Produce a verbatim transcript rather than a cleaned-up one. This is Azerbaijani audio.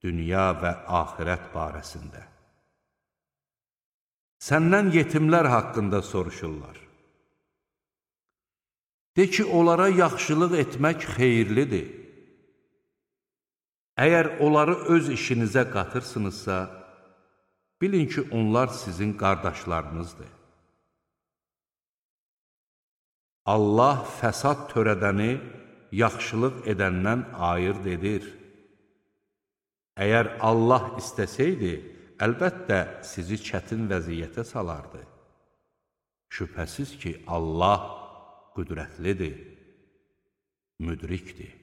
dünya və axirət barəsində. Səndən yetimlər haqqında soruşurlar. De ki, onlara yaxşılıq etmək xeyirlidir. Əgər onları öz işinizə qatırsınızsa, bilin ki, onlar sizin qardaşlarınızdır. Allah fəsad törədəni yaxşılıq edəndən ayırd edir. Əgər Allah istəsəydi, əlbəttə sizi çətin vəziyyətə salardı. Şübhəsiz ki, Allah qüdrətlidir, müdrikdir.